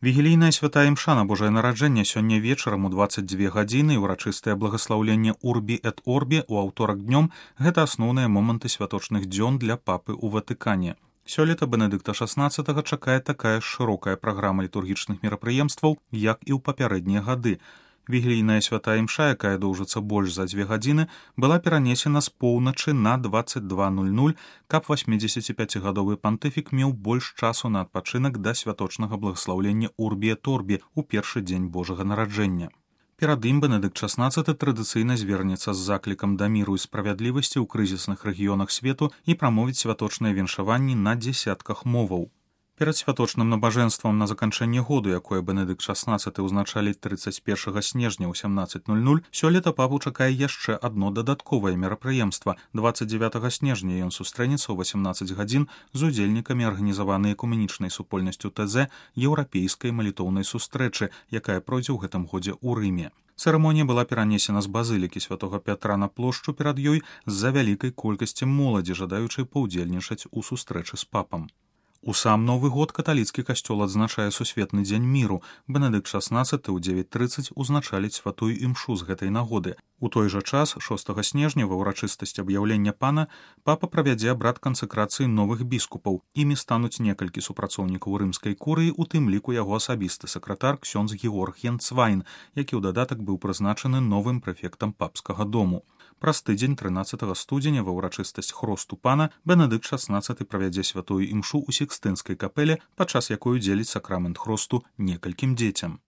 Вігілійная святая імша на Божае нараджэнне сёння вечарам у 22 гадзіны і ўрачыстае благаслаўленне Урбі эт Орбі ў аўторак днём – гэта асноўныя моманты святочных дзён для папы ў Ватыкане. Сёлета Бенедыкта XVI чакае такая ж шырокая праграма літургічных мерапрыемстваў, як і ў папярэднія гады. Вігілійная святая імша, якая доўжыцца больш за 2 гадзіны, была перанесена з поўначы на 22:00, каб 85-гадовы пантыфік меў больш часу на адпачынак да святочнага благаслаўлення Урбі эт Орбі ў першы дзень Божага нараджэння. Перад ім Бенедыкт XVI традыцыйна звернецца з заклікам да міру і справядлівасці ў крызісных рэгіёнах свету і прамовіць святочныя віншаванні на дзесятках моваў. Перад святочным набажэнствам на заканчэнне году, якое Бенедыкт XVI ўзначаліць 31 снежня ў 17:00, сёлета папу чакае яшчэ адно дадатковае мерапрыемства. 29 снежня ён сустрэнецца ў 18 гадзін з удзельнікамі арганізаванай экуменічнай супольнасцю ТЗ еўрапейскай малітоўнай сустрэчы, якая пройдзе ў гэтым годзе ў Рыме. Цырымонія была перанесена з базылікі святога Пятра на плошчу перад ёй з-за вялікай колькасці моладзі, жадаючай паўдзельнічаць у сустрэчы з папам. У сам Новы год каталіцкі касцёл адзначае сусветны дзень міру. Бенедыкт XVI ў 9:30 узначаліць святую імшу з гэтай нагоды. У той жа час, 6 снежня, ва ўрачыстасць аб'яўлення пана, папа правядзе абрад кансакрацыі новых біскупаў. Імі стануць некалькі супрацоўнікаў рымскай курыі, у тым ліку яго асабісты сакратар ксёндз Георг Янцвайн, які ў дадатак быў прызначаны новым прэфектам папскага дому. Праз тыдзень 13 студзеня ва ўрачыстасць хросту пана Бенедыкт XVI правядзе святую імшу ў Сікстынскай капэле, падчас якой удзеліць сакрамент хросту некалькім дзецям.